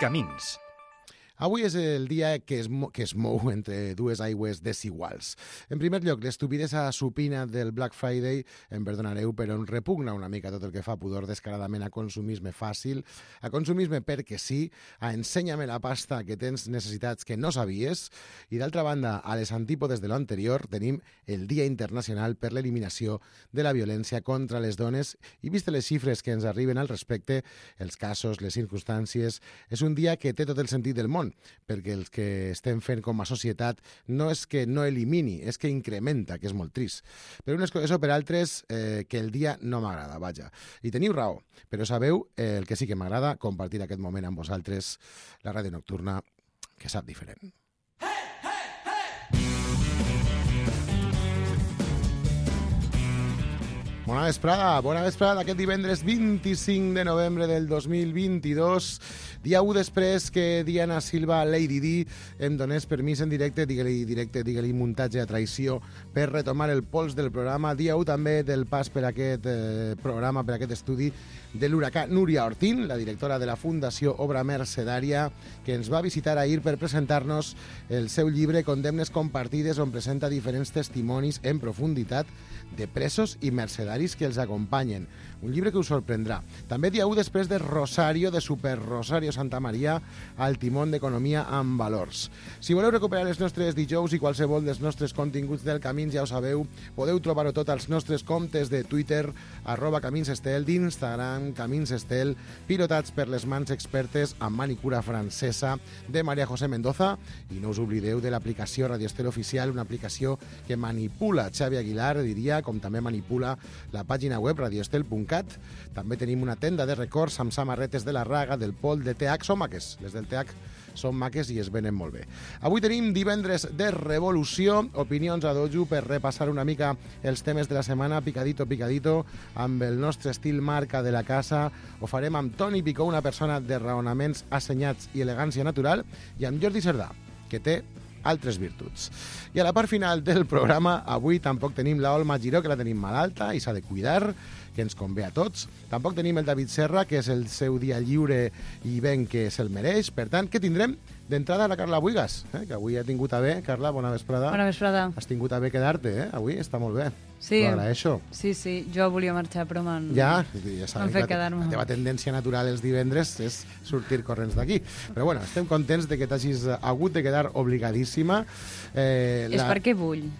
Camins. Avui és el dia que es mou entre dues aigües desiguals. En primer lloc, l'estupidesa supina del Black Friday, em perdonareu, però em repugna una mica tot el que fa pudor descaradament a consumisme fàcil, a consumisme perquè sí, a ensenya-me la pasta que tens necessitats que no sabies, i d'altra banda, a les antípodes de l'anterior, tenim el Dia Internacional per l'Eliminació de la Violència contra les Dones, i vist les xifres que ens arriben al respecte, els casos, les circumstàncies, és un dia que té tot el sentit del món, perquè el que estem fent com a societat no és que no elimini, és que incrementa, que és molt trist. Per unes coses o per altres, que el dia no m'agrada, vaja. I teniu raó, però sabeu el que sí que m'agrada, compartir aquest moment amb vosaltres, la ràdio nocturna, que sap diferent. Bona vesprada d'aquest divendres 25 de novembre del 2022, dia 1 després que Diana Silva, Lady D, em donés permís en directe, digue-li muntatge a traïció, per retomar el pols del programa. Dia 1 també del pas per aquest programa, per aquest estudi, de l'huracà Núria Ortín, la directora de la Fundació Obra Mercedària, que ens va visitar ahir per presentar-nos el seu llibre Condemnes compartides, on presenta diferents testimonis en profunditat de presos i mercedaris que els acompanyen. Un llibre que us sorprendrà. També dia 1 després de Rosario, de Super Rosario Santa Maria, al timón d'Economia amb Valors. Si voleu recuperar els nostres dijous i qualsevol dels nostres continguts del Camins, ja ho sabeu, podeu trobar-ho tot als nostres comptes de Twitter, @CaminsEstel, d'Instagram, CaminsEstel, pilotats per les mans expertes amb manicura francesa de María José Mendoza, i no us oblideu de l'aplicació Radio Estel Oficial, una aplicació que manipula Xavi Aguilar, diria, com també manipula la pàgina web radioestel.cat. També tenim una tenda de records amb samarretes de la Raga, del Pol, de TH. Són maques, les del TH són maques i es venen molt bé. Avui tenim divendres de revolució, opinions a dojo per repassar una mica els temes de la setmana, picadito, amb el nostre estil marca de la casa. Ho farem amb Toni Picó, una persona de raonaments assenyats i elegància natural, i amb Jordi Cerdà, que té altres virtuts. I a la part final del programa, avui tampoc tenim la Olma Giró, que la tenim malalta i s'ha de cuidar, que ens convé a tots. Tampoc tenim el David Serra, que és el seu dia lliure i ben que se'l mereix. Per tant, què tindrem? D'entrada, la Carla Buigas, que avui ha tingut a bé. Carla, bona vesprada. Bona vesprada. Has tingut a bé quedar-te, avui està molt bé. Sí. T'ho agraeixo. Sí, jo volia marxar, però m'han fet quedar-me. La teva tendència natural els divendres és sortir corrents d'aquí. Però bueno, estem contents de que t'hagis hagut de quedar obligadíssima. És perquè vull.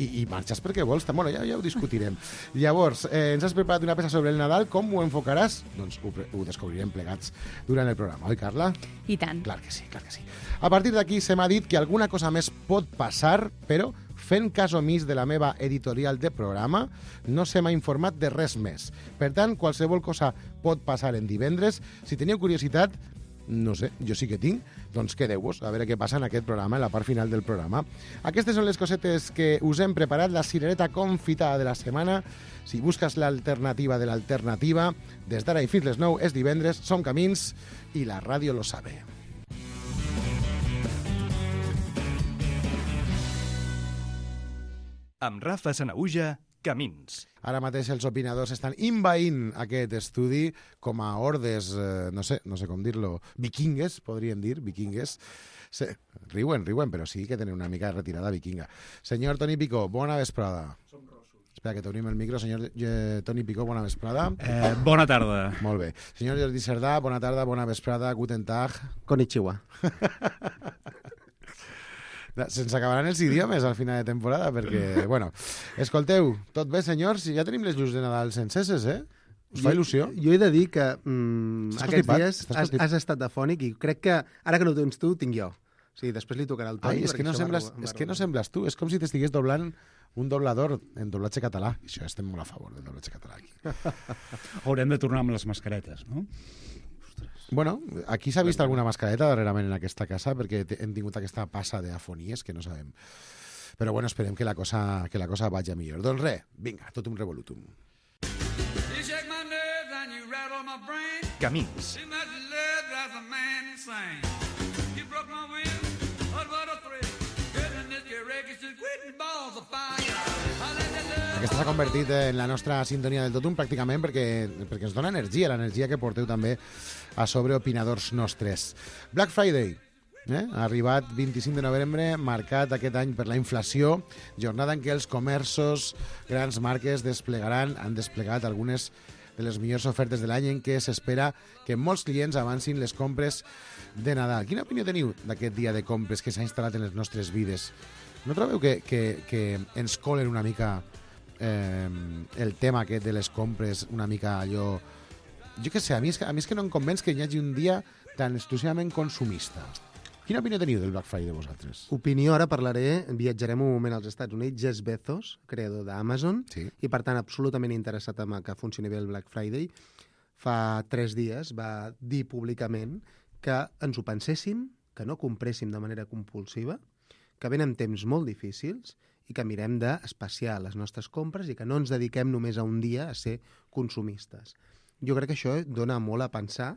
I marxes perquè vols. Bueno, ja ho discutirem. Llavors, ens has preparat una peça sobre el Nadal. Com ho enfocaràs? Doncs ho descobrirem plegats durant el programa. Oi, Carla? I tant. Clar que sí. A partir d'aquí se m'ha dit que alguna cosa més pot passar, però fent cas omís de la meva editorial de programa, no se m'ha informat de res més. Per tant, qualsevol cosa pot passar en divendres. Si teniu curiositat, no sé, jo sí que tinc, doncs quedeu-vos a veure què passa en aquest programa, en la part final del programa. Aquestes són les cosetes que us hem preparat, la cirereta confitada de la setmana. Si busques l'alternativa de l'alternativa, des d'ara i fins les 9 és divendres, som Camins i la ràdio lo sabe. Amb Rafa Sanaüja, Camins. Ara mateix els opinadors estan invaint aquest estudi com a hordes, no sé com dir-lo, vikingues, podríem dir, vikingues. Sí, riuen, però sí que tenen una mica de retirada vikinga. Senyor Toni Picó, bona vesprada. Som rossos. Espera, que t'obrim el micro. Senyor Toni Picó, bona vesprada. Bona tarda. Molt bé. Senyor Jordi Cerdà, bona tarda, bona vesprada, guten tag. Konnichiwa. Se'ns acabaran els idiomes al final de temporada, perquè, bueno, escolteu, tot bé, senyors? Ja tenim les llums de Nadal senceses, Us fa il·lusió? Jo he de dir que aquests dies has estat afònic i crec que, ara que no ho tens tu, tinc jo. O sigui, després li tocarà el Toni. És que no sembles tu, és com si t'estigués doblant un doblador en doblatge català. I això estem molt a favor del doblatge català aquí. Haurem de tornar amb les mascaretes, no? Bueno, aquí s'ha vist alguna mascareta darrerament en aquesta casa perquè hem tingut aquesta passa d'afonies que no sabem. Però bueno, esperem que la cosa vagi millor. Doncs res, vinga, tot un revolutum. Camins. Aquesta s'ha convertit en la nostra sintonia del totum pràcticament perquè ens dona energia, l'energia que porteu també a sobre opinadors nostres. Black Friday, ha arribat 25 de novembre, marcat aquest any per la inflació, jornada en què els comerços, grans marques han desplegat algunes de les millors ofertes de l'any en què s'espera que molts clients avancin les compres de Nadal. Quina opinió teniu d'aquest dia de compres que s'ha instal·lat en les nostres vides? No trobeu que ens colen una mica el tema aquest de les compres, una mica allò... Jo què sé, a mi és que no em convenç que hi hagi un dia tan exclusivament consumista. Quina opinió teniu del Black Friday vosaltres? Opinió, ara parlaré, viatjarem un moment als Estats Units, Jeff Bezos, creador d'Amazon, sí. I per tant absolutament interessat en que funcioni bé el Black Friday, fa 3 dies va dir públicament que ens ho penséssim, que no compréssim de manera compulsiva, que venen temps molt difícils i que mirem d'espaciar les nostres compres i que no ens dediquem només a un dia a ser consumistes. Jo crec que això dona molt a pensar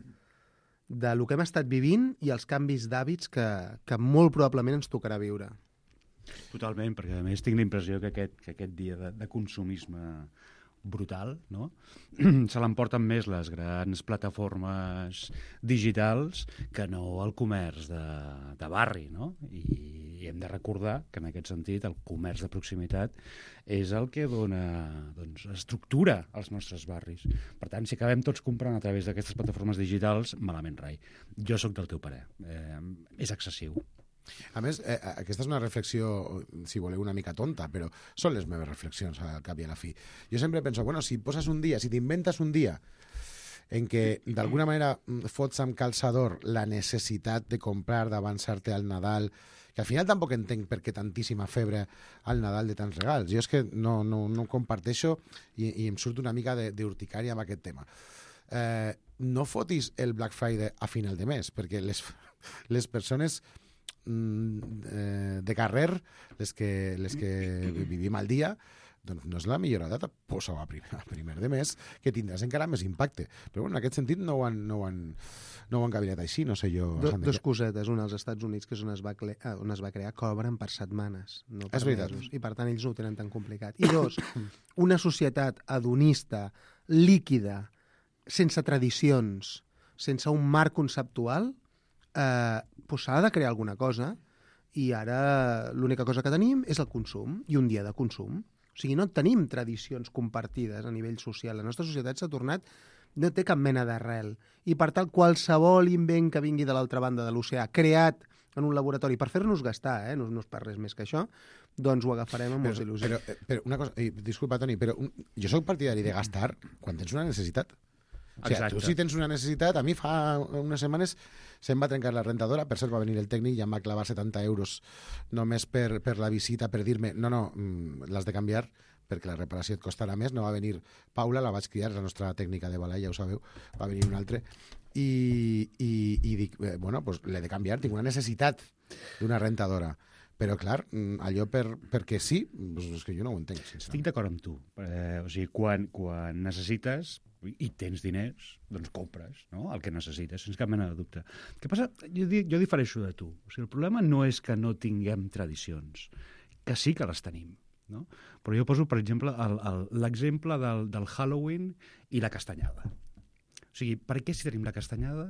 de lo que hem estat vivint i els canvis d'hàbits que molt probablement ens tocarà viure. Totalment, perquè a més tinc la impressió que aquest dia de consumisme brutal, no? Se l'emporten més les grans plataformes digitals que no el comerç de barri, no? I hem de recordar que en aquest sentit el comerç de proximitat és el que dona estructura als nostres barris. Per tant, si acabem tots comprant a través d'aquestes plataformes digitals, malament rai. Jo sóc del teu parer. És excessiu. A més, aquesta és una reflexió, si voleu, una mica tonta, però són les meves reflexions al cap i a la fi. Jo sempre penso, bueno, si poses un dia, si t'inventes un dia en què d'alguna manera fots amb calçador la necessitat de comprar, d'avançar-te al Nadal, que al final tampoc entenc per què tantíssima febre al Nadal de tants regals. Jo és que no comparteixo i em surt una mica d'urticària amb aquest tema. No fotis el Black Friday a final de mes, perquè les persones de carrer, les que vivim al dia, doncs no és la millor data, posa-ho a primer de mes, que tindràs encara més impacte. Però bueno, en aquest sentit no ho han cabinet així, no sé jo. Dos cosetes, una als Estats Units, que és on es va crear, cobren per setmanes, no per mesos, i per tant ells no ho tenen tan complicat. I dos, una societat hedonista, líquida, sense tradicions, sense un marc conceptual, s'ha de crear alguna cosa i ara l'única cosa que tenim és el consum i un dia de consum. O sigui, no tenim tradicions compartides a nivell social. La nostra societat s'ha tornat, no té cap mena d'arrel. I per tant, qualsevol invent que vingui de l'altra banda de l'oceà, creat en un laboratori per fer-nos gastar, no és per res més que això, doncs ho agafarem amb molts il·lusions. Però una cosa, disculpa, Toni, però jo soc partidari de gastar quan tens una necessitat. O sigui, tu si tens una necessitat, a mi fa unes setmanes se'm va trencar la rentadora, per cert va venir el tècnic i em va clavar 70 euros només per la visita, per dir-me, no, l'has de canviar perquè la reparació et costarà més. No va venir Paula, la vaig criar, la nostra tècnica de balai, ja ho sabeu, va venir un altre, i dic, bueno, pues l'he de canviar, tinc una necessitat d'una rentadora. Però, clar, allò perquè sí, és que jo no ho entenc. Estic d'acord amb tu. O sigui, quan necessites i tens diners, doncs compres, no? El que necessites, sense cap mena de dubte. Què passa? Jo difereixo de tu. O sigui, el problema no és que no tinguem tradicions, que sí que les tenim, no? Però jo poso, per exemple, l'exemple del Halloween i la castanyada. O sigui, per què si tenim la castanyada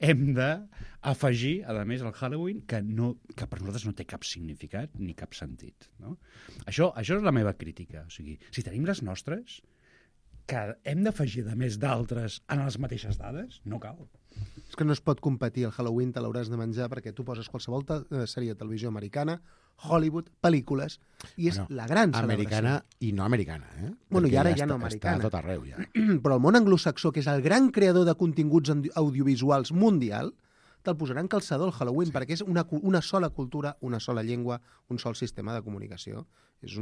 hem d'afegir, a més, el Halloween, que per nosaltres no té cap significat ni cap sentit, no? Això és la meva crítica. O sigui, si tenim les nostres, que hem d'afegir, de més d'altres, en les mateixes dades, no cal. És que no es pot competir. El Halloween te l'hauràs de menjar perquè tu poses qualsevol sèrie de televisió americana, Hollywood, pel·lícules, i és la gran celebració. Americana i no americana, Bueno, i ara ja no americana. Està a tot arreu, ja. Però el món anglosaxó, que és el gran creador de continguts audiovisuals mundial, te'l posarà en calçador el Halloween, perquè és una sola cultura, una sola llengua, un sol sistema de comunicació. És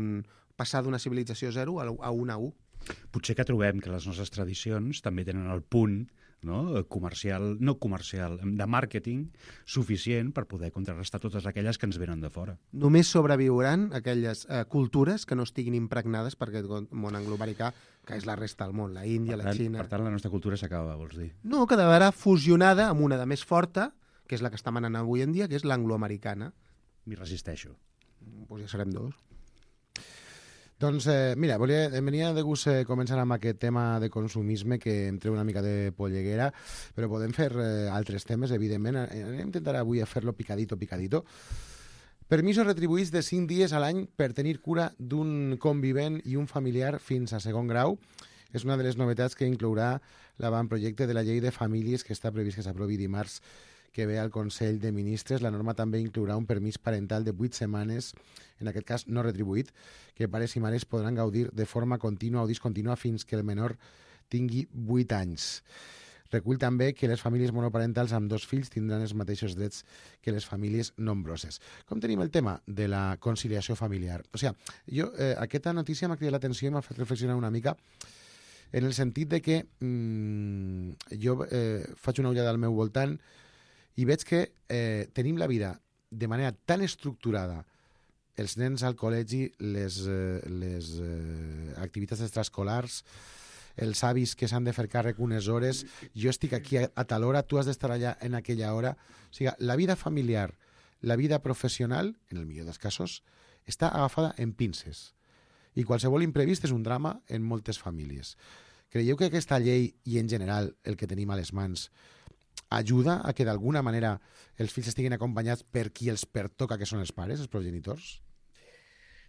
passar d'una civilització 0 a una 1. Potser que trobem que les nostres tradicions també tenen el punt, no comercial, de màrqueting suficient per poder contrarrestar totes aquelles que ens venen de fora. Només sobreviuran aquelles cultures que no estiguin impregnades per aquest món angloamericà, que és la resta del món, la Índia, la Xina... Per tant, la nostra cultura s'acaba, vols dir? No, quedarà fusionada amb una de més forta, que és la que està manant avui en dia, que és l'angloamericana. M'hi resisteixo. Doncs ja serem dos. Doncs, mira, em venia de gust començar amb aquest tema de consumisme que em treu una mica de polleguera, però podem fer altres temes, evidentment. Intentaré avui a fer-lo picadito. Permisos retribuïts de 5 dies a l'any per tenir cura d'un convivent i un familiar fins a segon grau. És una de les novetats que inclourà l'avantprojecte de la llei de famílies que està previst que s'aprovi dimarts que ve al Consell de Ministres. La norma també inclourà un permís parental de 8 setmanes, en aquest cas no retribuït, que pares i mares podran gaudir de forma contínua o discontínua fins que el menor tingui 8 anys. Recull també que les famílies monoparentals amb 2 fills tindran els mateixos drets que les famílies nombroses. Com tenim el tema de la conciliació familiar? O sigui, aquesta notícia m'ha cridat l'atenció i m'ha fet reflexionar una mica en el sentit de que jo faig una ullada al meu voltant i veig que tenim la vida de manera tan estructurada, els nens al col·legi, les activitats extraescolars, els avis que s'han de fer càrrec unes hores, jo estic aquí a tal hora, tu has d'estar allà en aquella hora. O sigui, la vida familiar, la vida professional, en el millor dels casos, està agafada en pinces. I qualsevol imprevist és un drama en moltes famílies. Creieu que aquesta llei i en general el que tenim a les mans ajuda a que d'alguna manera els fills estiguin acompanyats per qui els pertoca, que són els pares, els progenitors?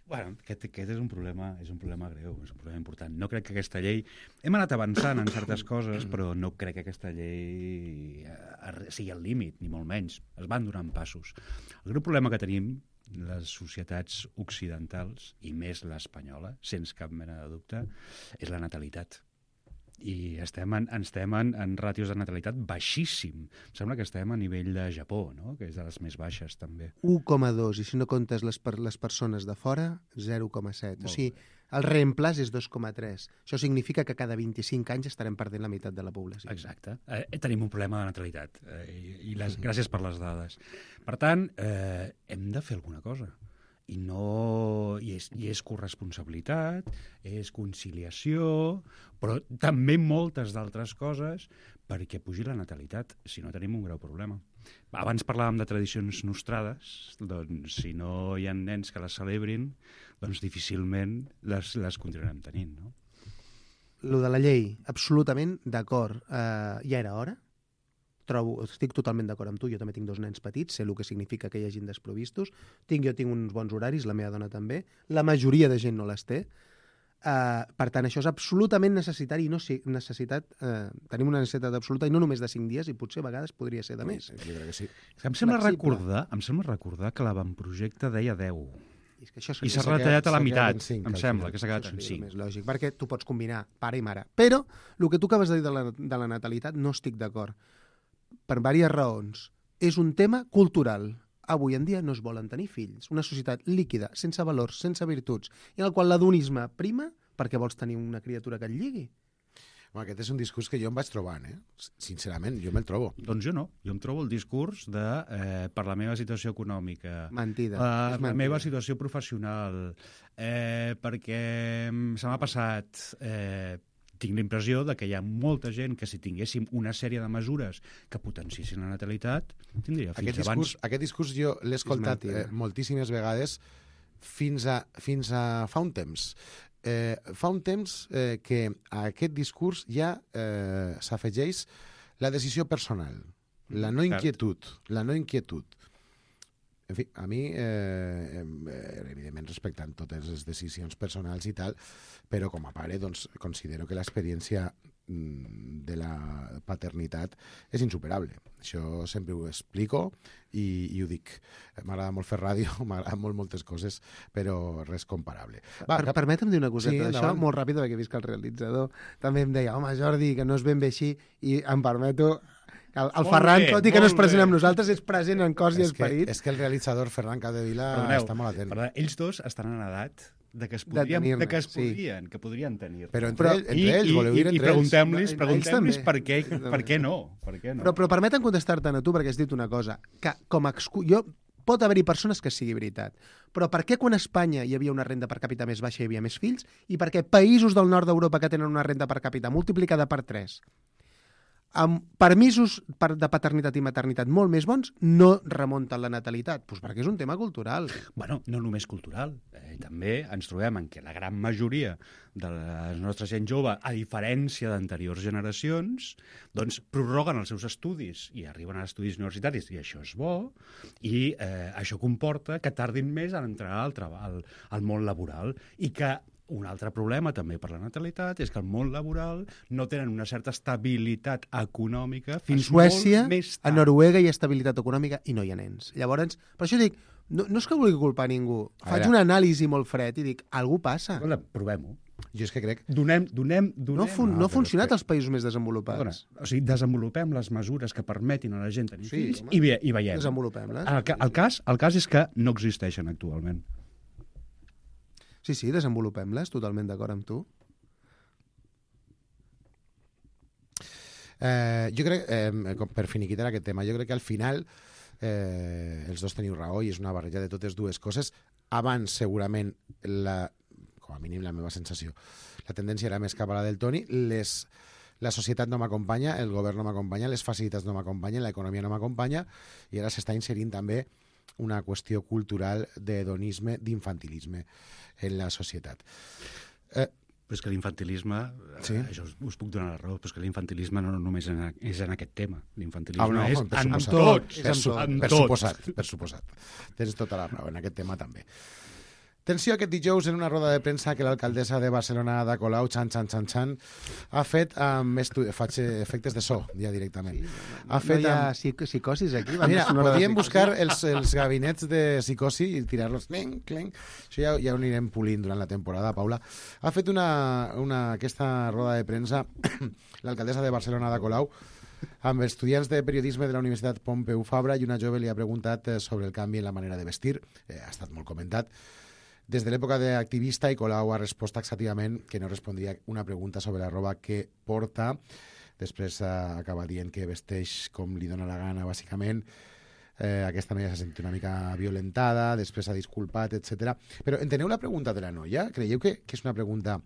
Bueno, aquest és un problema greu, és un problema important. No crec que aquesta llei... Hem anat avançant en certes coses, però no crec que aquesta llei sigui el límit, ni molt menys. Es van donant passos. El greu problema que tenim les societats occidentals, i més l'espanyola, sense cap mena de dubte, és la natalitat. I estem en ràtios de natalitat baixíssim. Em sembla que estem a nivell de Japó, no? Que és de les més baixes, també. 1,2, i si no comptes les persones de fora, 0,7. O sigui, el reemplaç és 2,3. Això significa que cada 25 anys estarem perdent la meitat de la població. Exacte. Tenim un problema de natalitat. Gràcies per les dades. Per tant, hem de fer alguna cosa. I és corresponsabilitat, és conciliació, però també moltes d'altres coses perquè pugi la natalitat, si no tenim un greu problema. Abans parlàvem de tradicions nostrades, doncs si no hi ha nens que les celebrin, doncs difícilment les continuarem tenint, no? Lo de la llei, absolutament d'acord. Ja era hora. Estic totalment d'acord amb tu, jo també tinc 2 nens petits, sé el que significa que hi hagin desprovistos, jo tinc uns bons horaris, la meva dona també, la majoria de gent no les té, per tant això és absolutament necessitari i tenim una necessitat absoluta i no només de 5 dies i potser a vegades podria ser de més. Jo crec que sí. Em sembla recordar que l'avantprojecte deia 10. I s'ha retallat a la meitat, em sembla, que s'ha quedat en 5. És lògic, perquè tu pots combinar pare i mare. Però el que tu acabes de dir de la natalitat no estic d'acord. Per diverses raons. És un tema cultural. Avui en dia no es volen tenir fills. Una societat líquida, sense valors, sense virtuts, i en el qual l'adonisme prima perquè vols tenir una criatura que et lligui. Aquest és un discurs que jo em vaig trobant, sincerament, jo me'l trobo. Doncs jo no. Jo em trobo el discurs de per la meva situació econòmica, mentida. La meva situació professional, perquè se m'ha passat... Tinc la impressió de que hi ha molta gent que si tinguéssim una sèrie de mesures que potenciessin la natalitat, tindria fills abans. Aquest discurs jo l'he escoltat moltíssimes vegades fins a fa un temps. Fa un temps que a aquest discurs ja s'afegeix la decisió personal, la no inquietud. En fi, a mi, evidentment respectant totes les decisions personals i tal, però com a pare doncs, considero que l'experiència de la paternitat és insuperable. Això sempre ho explico i ho dic. M'agrada molt fer ràdio, m'agrada moltes coses, però res comparable. Permetem dir una coseta d'això, molt ràpid, perquè he vist que el realitzador també em deia, home, Jordi, que no és ben bé així, i em permeto... El Ferran, tot i que no és present amb nosaltres, és present en cos i esperit. És que el realitzador Ferran Capdevila està molt atent. Ells dos estan en edat de que podrien tenir. Però entre ells, voleu dir entre ells. I preguntem-los per què no. Però permeten contestar-te a tu, perquè has dit una cosa, que com a pot haver-hi persones que sigui veritat, però per què quan a Espanya hi havia una renda per càpita més baixa hi havia més fills, i per què països del nord d'Europa que tenen una renda per càpita multiplicada per 3 amb permisos de paternitat i maternitat molt més bons, no remunten la natalitat. Doncs perquè és un tema cultural. Bueno, no només cultural. També ens trobem en què la gran majoria de la nostra gent jove, a diferència d'anteriors generacions, doncs prorroguen els seus estudis i arriben a estudis universitaris, i això és bo, i això comporta que tardin més en entrar al món laboral, i que un altre problema també per la natalitat és que el món laboral no tenen una certa estabilitat econòmica fins Suècia, molt més tard. A Noruega hi ha estabilitat econòmica i no hi ha nens. Llavors, per això dic, no és que vulgui culpar ningú. Faig una anàlisi molt fred i dic, algú passa. Escolta, provem-ho. Jo és que crec... No ha funcionat als països més desenvolupats. O sigui, desenvolupem les mesures que permetin a la gent tenir fills i veiem. Desenvolupem-les. El cas és que no existeixen actualment. Sí, desenvolupem-les, totalment d'acord amb tu. Jo crec, per finiquitar aquest tema, jo crec que al final els dos teniu raó i és una barreja de totes dues coses. Abans, segurament, com a mínim la meva sensació, la tendència era més cap a la del Toni. La societat no m'acompanya, el govern no m'acompanya, les facilitats no m'acompanyen, l'economia no m'acompanya, i ara s'està inserint també una qüestió cultural d'hedonisme, d'infantilisme en la societat. Però és que l'infantilisme, això us puc donar la raó, però és que l'infantilisme no només és en aquest tema. L'infantilisme és en tots. Per suposat. Tens tota la raó, en aquest tema també. Tensió aquest dijous en una roda de premsa que l'alcaldessa de Barcelona, Ada Colau, ha fet faig efectes de so, ja directament. No hi ha psicosis aquí? Mira, podríem buscar els gabinets de psicosi i tirar-los clenc. Això ja ho anirem polint durant la temporada, Paula. Ha fet aquesta roda de premsa l'alcaldessa de Barcelona, Ada Colau, amb estudiants de periodisme de la Universitat Pompeu Fabra, i una jove li ha preguntat sobre el canvi en la manera de vestir. Ha estat molt comentat des de l'època d'activista, i Colau ha respost taxativament que no respondria una pregunta sobre la roba que porta. Després acaba dient que vesteix com li dóna la gana, bàsicament. Aquesta noia s'ha sentit una mica violentada, després s'ha disculpat, etc. Però enteneu la pregunta de la noia? Creieu que és una pregunta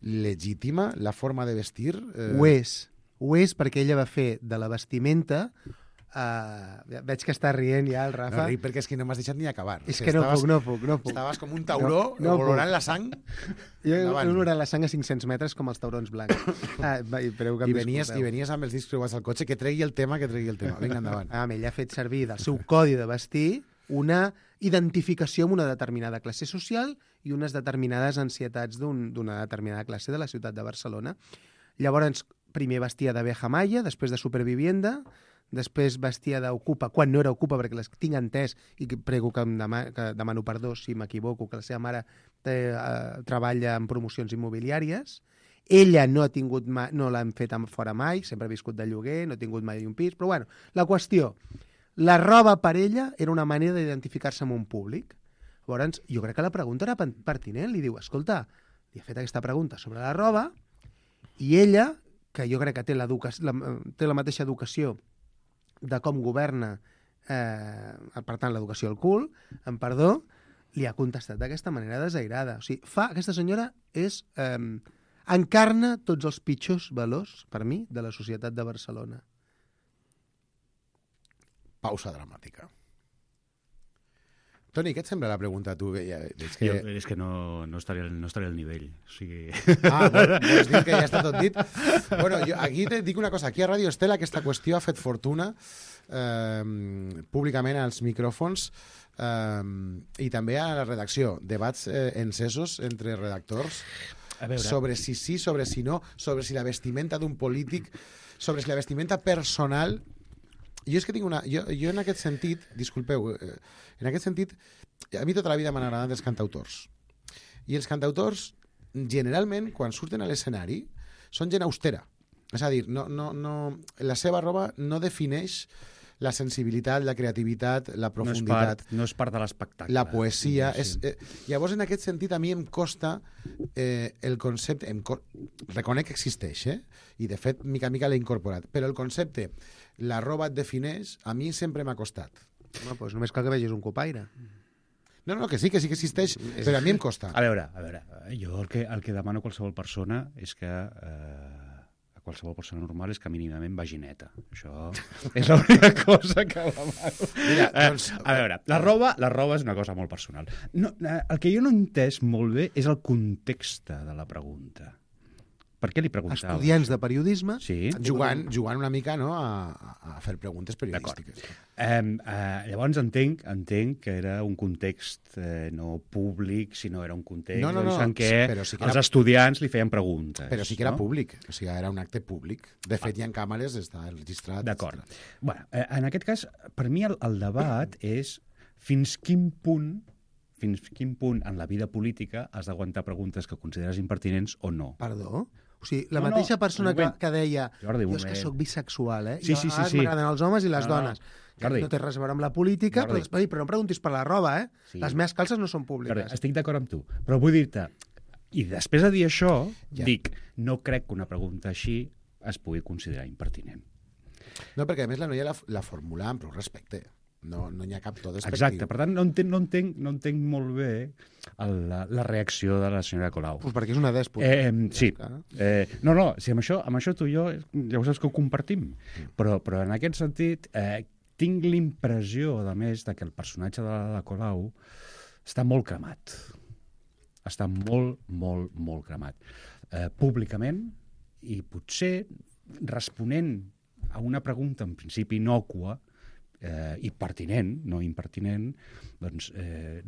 legítima, la forma de vestir? Ho és perquè ella va fer de la vestimenta... veig que està rient ja el Rafa. No ric perquè és que no m'has deixat ni acabar. És que no puc. Estaves com un tauró olorant la sang. Jo he olorat la sang a 500 metres com els taurons blancs. I venies amb els discs creuats al cotxe, que tregui el tema. Vinga, endavant. Ella ha fet servir del seu codi de vestir una identificació amb una determinada classe social i unes determinades ansietats d'una determinada classe de la ciutat de Barcelona. Llavors, primer vestia d'abeja maya, després de supervivienda, després vestia d'Ocupa, quan no era Ocupa, perquè les tinc entès, i prego que demano perdó si m'equivoco, que la seva mare treballa en promocions immobiliàries. Ella no l'han fet fora mai, sempre ha viscut de lloguer, no ha tingut mai un pis, però bueno, la qüestió, la roba per ella era una manera d'identificar-se amb un públic. Llavors, jo crec que la pregunta era pertinent, li diu, escolta, li ha fet aquesta pregunta sobre la roba, i ella, que jo crec que té la mateixa educació de com governa, per tant, l'educació al cul, amb perdó, li ha contestat d'aquesta manera desairada. O sigui, aquesta senyora encarna tots els pitjors valors, per mi, de la societat de Barcelona. Pausa dramàtica. Toni, què et sembla la pregunta a tu? És que no estaré al nivell. O sigui... Vols dir que ja està tot dit? Bueno, jo aquí te dic una cosa. Aquí a Ràdio Estela aquesta qüestió ha fet fortuna públicament als micròfons i també a la redacció. Debats encesos entre redactors sobre si sí, sobre si no, sobre si la vestimenta d'un polític, sobre si la vestimenta personal... Jo és que tinc Jo en aquest sentit, disculpeu, en aquest sentit, a mi tota la vida m'han agradat els cantautors. I els cantautors, generalment, quan surten a l'escenari, són gent austera. És a dir, la seva roba no defineix la sensibilitat, la creativitat, la profunditat. No és part de l'espectacle. La poesia. Llavors, en aquest sentit, a mi em costa el concepte... Reconec que existeix, i de fet, mica en mica l'he incorporat. Però el concepte, la roba et defineix, a mi sempre m'ha costat. Doncs només cal que vegis un copaire. No, que sí que existeix, però a mi em costa. A veure, jo el que demano a qualsevol persona és que a qualsevol persona normal és que mínimament vagi neta. Això és l'única cosa que demano. Mira, doncs... A veure, la roba és una cosa molt personal. No, el que jo no he entès molt bé és el context de la pregunta. Per què li preguntava? Estudiants de periodisme... Sí. Jugant una mica, no?, a fer preguntes periodístiques. Llavors entenc que era un context no públic, sinó era un context en què sí que els estudiants li feien preguntes. Però sí que era públic, o sigui, era un acte públic. De fet, hi ha càmeres, està registrat. D'acord. Bueno, en aquest cas, per mi el debat és fins quin punt en la vida política has d'aguantar preguntes que consideres impertinents o no. Perdó? O sigui, la mateixa persona que deia Jordi, jo és que sóc bisexual, Sí. M'agraden els homes i les dones. Jordi. No té res a veure amb la política, però no preguntis per la roba, Sí. Les meves calces no són públiques. Jordi, estic d'acord amb tu, però vull dir-te, i després de dir això, dic, no crec que una pregunta així es pugui considerar impertinent. No, perquè a més la noia la formula amb prou respecte. No n'hi ha cap to despectiu. Exacte, per tant, no entenc molt bé la reacció de la senyora Colau. Pues perquè és una dèspota. Sí. Si amb això tu i jo ja ho saps que ho compartim, però en aquest sentit tinc l'impressió, a més, que el personatge de la Colau està molt cremat. Està molt, molt, molt cremat. Públicament, i potser responent a una pregunta en principi innòcua, i pertinent, no impertinent, doncs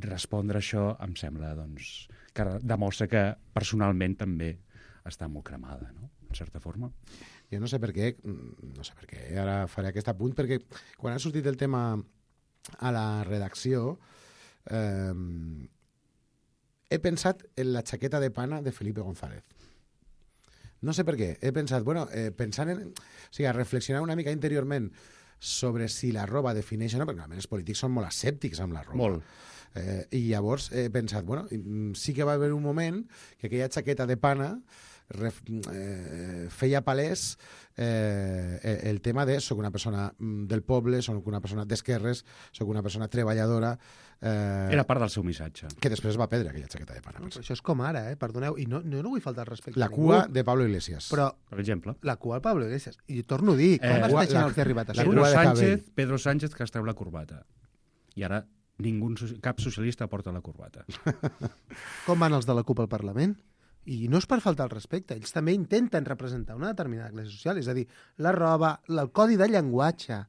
respondre això em sembla que demostra que personalment també està molt cremada, no? En certa forma. Jo no sé per què, ara faré aquest apunt, perquè quan ha sortit el tema a la redacció he pensat en la xaqueta de pana de Felipe González. No sé per què. He pensat, pensant en... O sigui, reflexionar una mica interiorment sobre si la roba defineix o no, perquè normalment els polítics són molt escèptics amb la roba. Molt. I llavors he pensat, sí que va haver un moment que aquella xaqueta de pana feia palès el tema de soc una persona del poble, soc una persona d'esquerres, soc una persona treballadora. Era part del seu missatge. Que després va perdre aquella xaqueta de pana. Això és com ara, perdoneu, i no vull faltar al respecte. La cua de Pablo Iglesias. Però, per exemple. La cua de Pablo Iglesias. I torno a dir, com es deixen els que ha arribat a ser? Pedro Sánchez que es treu la corbata. I ara cap socialista porta la corbata. Com van els de la CUP al Parlament? I no és per faltar al respecte, ells també intenten representar una determinada classe social, és a dir, la roba, el codi de llenguatge,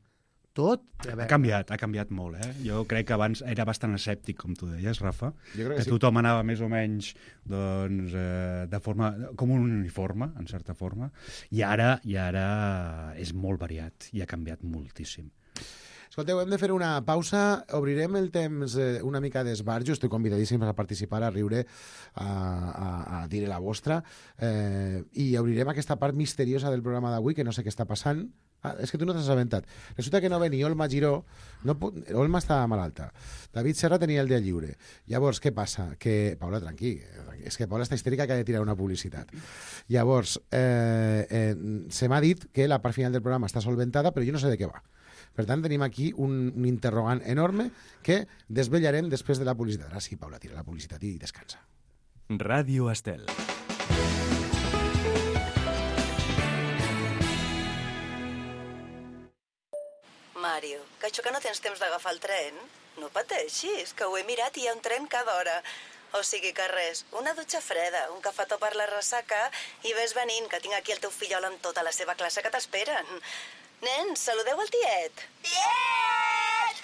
tot... Ha canviat molt, Jo crec que abans era bastant escèptic, com tu deies, Rafa, que tothom anava més o menys de forma, com un uniforme, en certa forma, i ara és molt variat i ha canviat moltíssim. Escolteu, hem de fer una pausa, obrirem el temps una mica d'esbarjo, estic convidadíssim a participar, a riure, a dir la vostra, i obrirem aquesta part misteriosa del programa d'avui, que no sé què està passant. És que tu no t'has assabentat. Resulta que no ve ni Olma Giró, Olma està malalta, David Serra tenia el dia lliure. Llavors, què passa? Que, Paula, tranquil, és que Paula està histèrica que ha de tirar una publicitat. Llavors, se m'ha dit que la part final del programa està solventada, però jo no sé de què va. Per tant, tenim aquí un interrogant enorme que desvetllarem després de la publicitat. Ara sí, Paula, tira la publicitat i descansa. Ràdio Estel. Mario, que això que no tens temps d'agafar el tren? No pateixis, que ho he mirat i hi ha un tren cada hora. O sigui que res, una dutxa freda, un cafetó per la ressaca i ves venint, que tinc aquí el teu fillol amb tota la seva classe que t'esperen. Nens, saludeu el tiet. Tiet!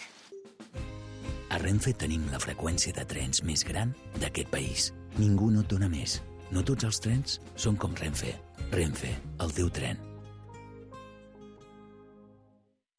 A Renfe tenim la freqüència de trens més gran d'aquest país. Ningú no et dona més. No tots els trens són com Renfe. Renfe, el teu tren.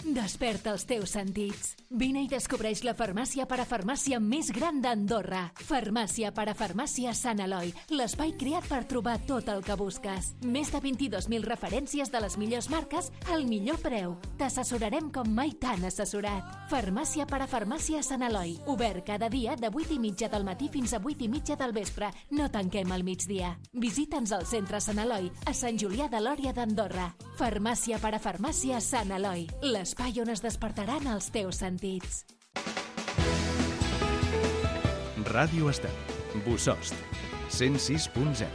Desperta els teus sentits. Vine i descobreix la farmàcia parafarmàcia més gran d'Andorra. Farmàcia parafarmàcia Sant Eloi, l'espai creat per trobar tot el que busques. Més de 22.000 referències de les millors marques al millor preu. T'assessorarem com mai t'han assessorat. Farmàcia parafarmàcia Sant Eloi. Obert cada dia de 8:30 del matí fins a 8:30 del vespre. No tanquem al migdia. Visita'ns al centre Sant Eloi, a Sant Julià de Lòria d'Andorra. Farmàcia parafarmàcia Sant Eloi. L'espai on es despertaran els teus sentits. Ràdio Estel. Bussost. 106.0.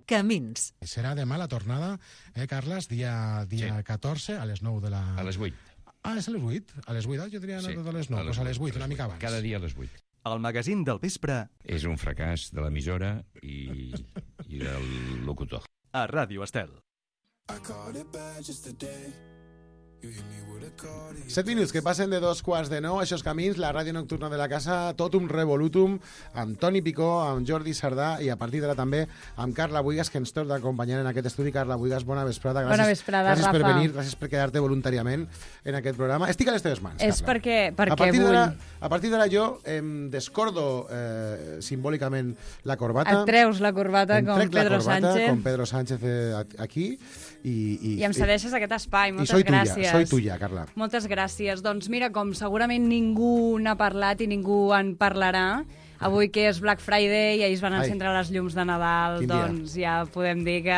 Camins. Serà demà la tornada, Carles, dia 14, a les 9 de la... A les 8. Ah, és a les 8? A les 8, jo tenia anat a les 9, doncs a les 8, una mica abans. Cada dia a les 8. El magazín del vespre És un fracàs de l'emissora i del locutor. a Ràdio Estel. 7 minuts que passen de 2:15, això és Camins, la ràdio nocturna de la casa, tot un revolutum, amb Toni Picó, amb Jordi Sardà i a partir d'ara també amb Carla Buigas, que ens torna d'acompanyar en aquest estudi. Carla Buigas, bona vesprada. Bona vesprada, gràcies Rafa. per venir, gràcies per quedar-te voluntàriament en aquest programa. Estic a les teves mans, És Carla. perquè vull. A partir d'ara jo em descordo simbòlicament la corbata. Et treus la corbata Em com trec la Pedro corbata, Sánchez com Pedro Sánchez aquí i i em cedeixes aquest espai. i Moltes soy gràcies. soy tuya, Carla. Moltes gràcies. Doncs mira, com segurament ningú n'ha parlat i ningú en parlarà, avui que és Black Friday i ahir es van encendre les llums de Nadal, Quin dia. doncs ja podem dir que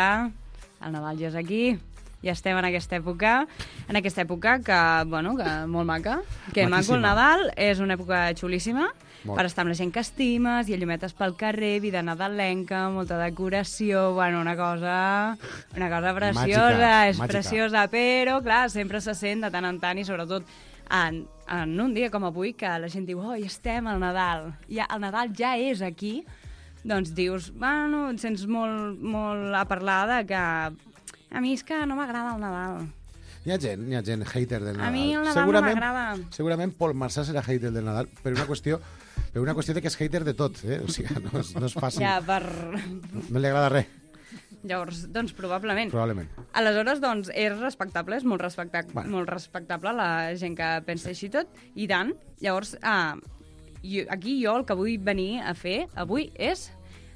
el Nadal ja és aquí, ja estem en aquesta època que, bueno, que molt maca, que maco Maquíssima. el Nadal, és una època xulíssima, Molt. per estar amb la gent que estimes, i a llumetes pel carrer, vida nadalenca, molta decoració, bueno, una cosa preciosa, Màgica, és màgica. preciosa, però, clar, sempre se sent de tant en tant, i sobretot en un dia com avui, que la gent diu, oh, ja estem al Nadal, el Nadal ja és aquí, doncs dius, bueno, et sents molt a parlar de que a mi és que no m'agrada el Nadal. Hi ha gent hater del Nadal. A mi el Nadal no m'agrada. Segurament Pol Marçà serà hater del Nadal per una qüestió de que és hater de tot, O sigui, no és fàcil. Ja, No li agrada res, Llavors, doncs probablement. probablement. Aleshores, doncs, és respectable, és molt respectable la gent que pensa així tot, i tant. Llavors, aquí jo el que vull venir a fer avui és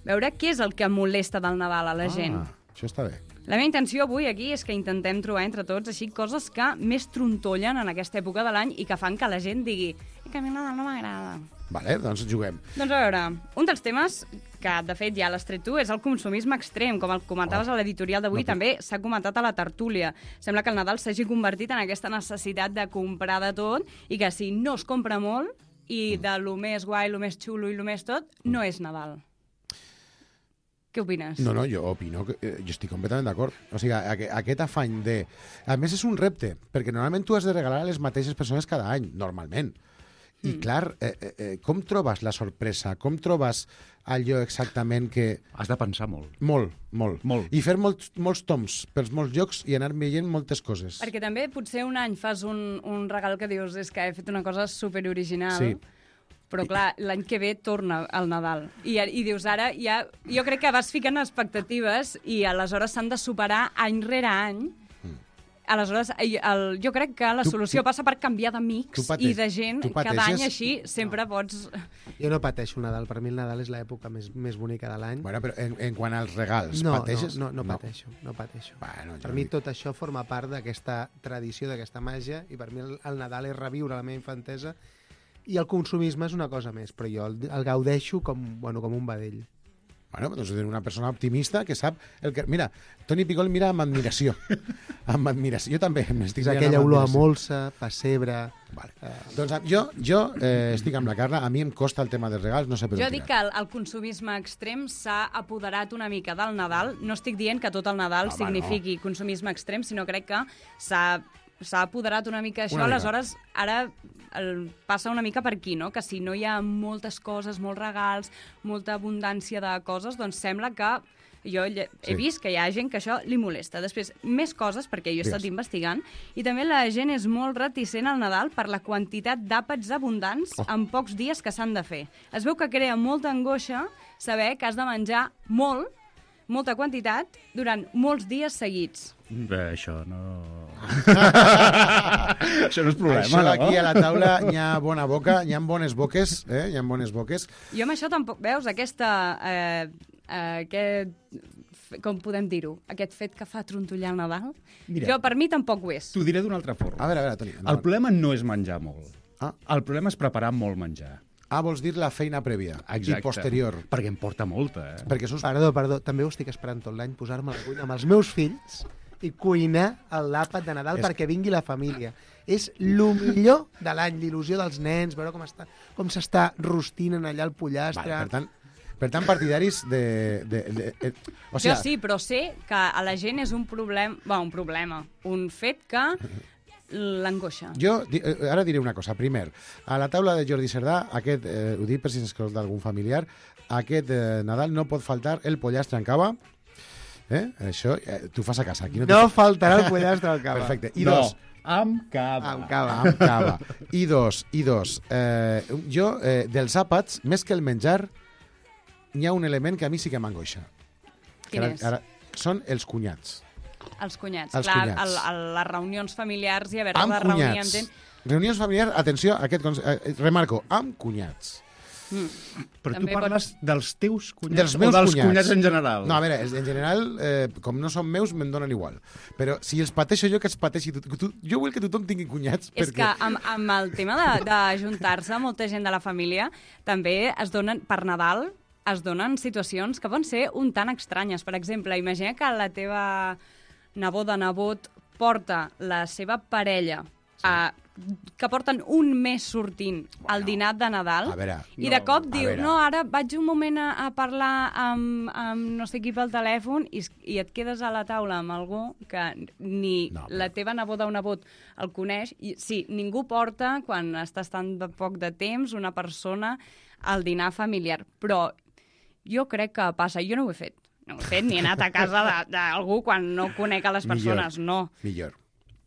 veure què és el que molesta del Nadal a la gent. Això està bé. La meva intenció avui aquí és que intentem trobar entre tots així coses que més trontollen en aquesta època de l'any i que fan que la gent digui que a mi el Nadal no m'agrada. Vale, doncs juguem. Doncs a veure, un dels temes que de fet ja l'has tret tu és el consumisme extrem, com el comentaves a l'editorial d'avui, també s'ha comentat a la tertúlia. Sembla que el Nadal s'hagi convertit en aquesta necessitat de comprar de tot i que si no es compra molt i de lo més guai, lo més xulo i lo més tot, no és Nadal. Què opines? No, jo opino que jo estic completament d'acord. O sigui, aquest afany de... A més, és un repte, perquè normalment tu has de regalar a les mateixes persones cada any, normalment. I clar, com trobes la sorpresa? Com trobes allò exactament que... Has de pensar molt. Molt. I fer molts toms pels molts llocs i anar veient moltes coses. Perquè també potser un any fas un regal que dius és que he fet una cosa superoriginal, Sí. però clar, l'any que ve torna al Nadal. I dius, ara ja... Jo crec que vas ficant expectatives i aleshores s'han de superar any rere any. Aleshores, jo crec que la solució passa per canviar d'amics i de gent. Cada any així sempre pots... Jo no pateixo el Nadal. Per mi el Nadal és l'època més bonica de l'any. Bueno, però en quant als regals, No pateixes? pateixo. Bueno, Per mi tot això forma part d'aquesta tradició, d'aquesta màgia, i per mi el Nadal és reviure la meva infantesa, i el consumisme és una cosa més, però jo el gaudeixo com un vedell. Bueno, doncs és una persona optimista que sap el que... Mira, Toni Picó el mira amb admiració. Amb admiració. Jo també m'estic És mirant aquella amb olor a admiració. molsa, pessebre... Vale. Doncs jo estic amb la Carla, a mi em costa el tema dels regals, no sé per on Jo dic que el consumisme extrem s'ha apoderat una mica del Nadal. No estic dient que tot el Nadal signifiqui consumisme extrem, sinó crec que s'ha apoderat una mica això. Aleshores, ara passa una mica per aquí, no? Que si no hi ha moltes coses, molts regals, molta abundància de coses, doncs sembla que jo he vist que hi ha gent que això li molesta. Després, més coses, perquè jo he estat investigant, i també la gent és molt reticent al Nadal per la quantitat d'àpats abundants en pocs dies que s'han de fer. Es veu que crea molta angoixa saber que has de menjar molta quantitat durant molts dies seguits. Bé, això no... Això no és problema, Això no? aquí a la taula hi ha bona boca, hi ha bones boques, hi ha bones boques. Jo amb això tampoc... Veus, com podem dir-ho? Aquest fet que fa trontollar el Nadal? Mira, Per mi tampoc ho és. t'ho diré d'una altra forma. A veure, Toni. El problema no és menjar molt. Ah. El problema és preparar molt menjar. Vols dir la feina prèvia i posterior. Perquè em porta molta, Perquè sos... Perdó, també ho estic esperant tot l'any, posar-me a la cuina amb els meus fills i cuinar l'àpat de Nadal perquè vingui la família. És el millor de l'any, l'il·lusió dels nens, veure com s'està rostint en allà el pollastre. Vale, per tant, Per tant, partidaris de... o sigui, Jo sí, però sé que a la gent és un problema, un fet que l'angoixa. Jo ara diré una cosa. Primer, a la taula de Jordi Cerdà, ho dic per si s'escolta d'algun familiar, aquest Nadal no pot faltar el pollastre en cava. Això tu fas a casa. Aquí no faltarà el pollastre al cava. Perfecte. I dos... Amb cava. Amb cava. I dos. Jo, dels àpats, més que el menjar, hi ha un element que a mi sí que m'angoixa. Quin és? Són els cunyats. Els cunyats. Els Clar, cunyats. les reunions familiars i haver-te Amb de reunir amb cunyats. gent... Reunions familiars, atenció, remarco, amb cunyats. Però També tu parles dels teus cunyats Dels meus o dels cunyats. cunyats en general? No, a veure, en general, com no són meus, me'n donen igual. Però si els pateixo jo, que els pateixi jo vull que tothom tingui cunyats. És que amb el tema d'ajuntar-se molta gent de la família, també es donen, per Nadal, es donen situacions que poden ser un tant estranyes. Per exemple, imagina que la teva nebot porta la seva parella que porten un mes sortint al dinar de Nadal, i de cop diu, no, ara vaig un moment a parlar amb no sé qui pel telèfon, i et quedes a la taula amb algú que ni la teva neboda o nebot el coneix. Sí, ningú porta, quan estàs tan de poc de temps, una persona al dinar familiar, però jo crec que passa. Jo no ho he fet. No ho he fet ni he anat a casa d'algú quan no conec a les persones, no. Millor.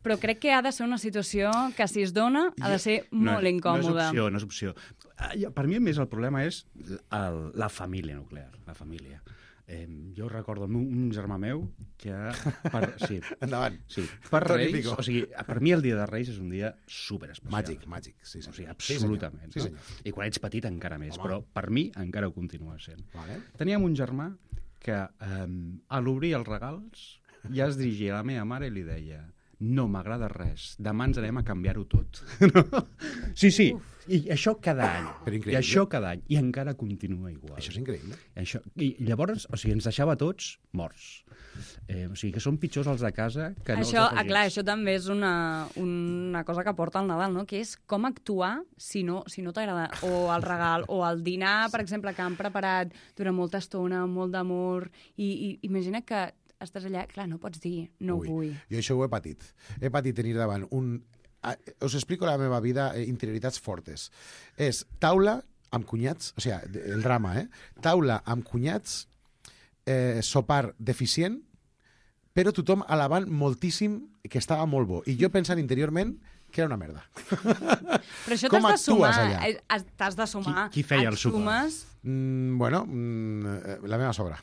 Però crec que ha de ser una situació que, si es dona, ha de ser molt incòmoda. No és opció. Per mi, més, el problema és la família nuclear, la família. Jo recordo un germà meu que... Endavant. Sí, per Reis, o sigui, per mi el dia de Reis és un dia superespecial. Màgic, sí. O sigui, absolutament. Sí, senyor. I quan ets petit encara més, però per mi encara ho continua sent. Vale. Teníem un germà que a l'obrir els regals ja es dirigia a la meva mare i li deia: no m'agrada res, demà ens anem a canviar-ho tot. Sí, i això cada any. I això cada any. I encara continua igual. Això és increïble. I llavors, o sigui, ens deixava tots morts. O sigui, que són pitjors els de casa que no els afegits. Clar, això també és una cosa que porta al Nadal, no? Que és com actuar si no t'agrada o el regal o el dinar, per exemple, que han preparat durant molta estona, molt d'amor, i imagina que estàs allà, clar, no pots dir, no ho vull. Jo això ho he patit. He patit tenir davant us explico la meva vida, interioritats fortes. És taula amb cunyats, o sigui, el drama, taula amb cunyats, sopar deficient, però tothom alabant moltíssim que estava molt bo. I jo pensant interiorment que era una merda. Però això t'has de sumar. T'has de sumar. Qui feia el sopar? Bueno, la meva sogra.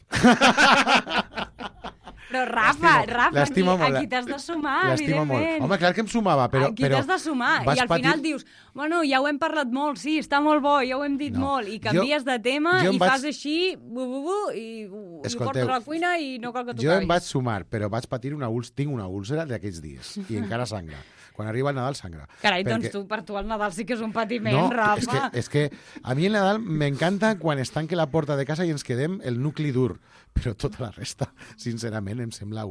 Però Rafa, aquí t'has de sumar, evidentment. Home, clar que em sumava, però... Aquí t'has de sumar, i al final dius, bueno, ja ho hem parlat molt, sí, està molt bo, ja ho hem dit molt, i canvies de tema i fas així, i ho portes a la cuina i no cal que t'ho Jo em vaig sumar, però vaig patir tinc una úlcera d'aquests dies, i encara sangra. Quan arriba el Nadal, sangra. Carai, doncs per tu el Nadal sí que és un patiment, Rafa. És que a mi el Nadal m'encanta quan es tanca la porta de casa i ens quedem el nucli dur, però tota la resta, sincerament, em sembla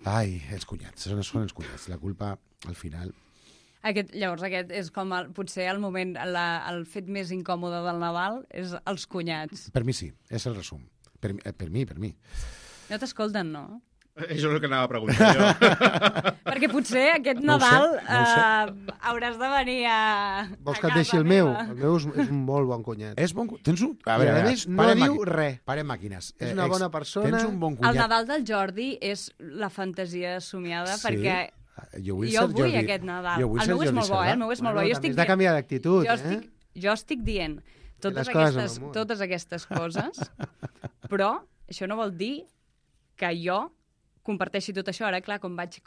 Ai, els cunyats, són els cunyats. La culpa, al final... Llavors, aquest és com potser el moment, el fet més incòmode del Nadal és els cunyats. Per mi sí, és el resum. Per mi. No t'escolten, no? Això és el que anava a preguntar jo. Perquè potser aquest Nadal hauràs de venir a Vols que et deixi el meu? El meu és un molt bon cunyat. És bon... Tens un... A veure, no diu res. Parem màquines. És una bona persona. Tens un bon cunyat. El Nadal del Jordi és la fantasia somiada, perquè jo vull aquest Nadal. El meu és molt bo, el meu és molt bo. Has de canviar d'actitud, Jo estic dient totes aquestes coses, però això no vol dir que jo comparteixi tot això. Ara, clar, com vaig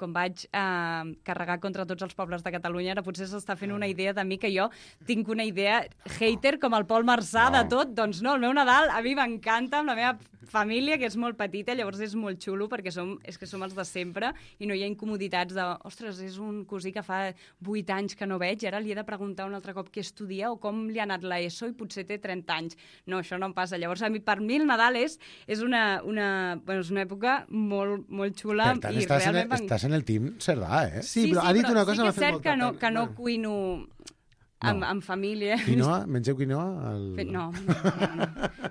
carregar contra tots els pobles de Catalunya, ara potser s'està fent una idea de mi que jo tinc una idea hater com el Pol Marçà de tot. Doncs no, el meu Nadal a mi m'encanta, amb la meva família, que és molt petita, llavors és molt xulo perquè som els de sempre i no hi ha incomoditats de, ostres, és un cosí que fa 8 anys que no veig i ara li he de preguntar un altre cop què estudia o com li ha anat l'ESO i potser té 30 anys. No, això no em passa. Llavors, per mi el Nadal és una època molt xula. Per tant, i realment estàs en el team Cerdà, eh? Sí, però ha dit una cosa... Sí que és cert que no cuino amb família. Quinoa? Mengeu quinoa? No.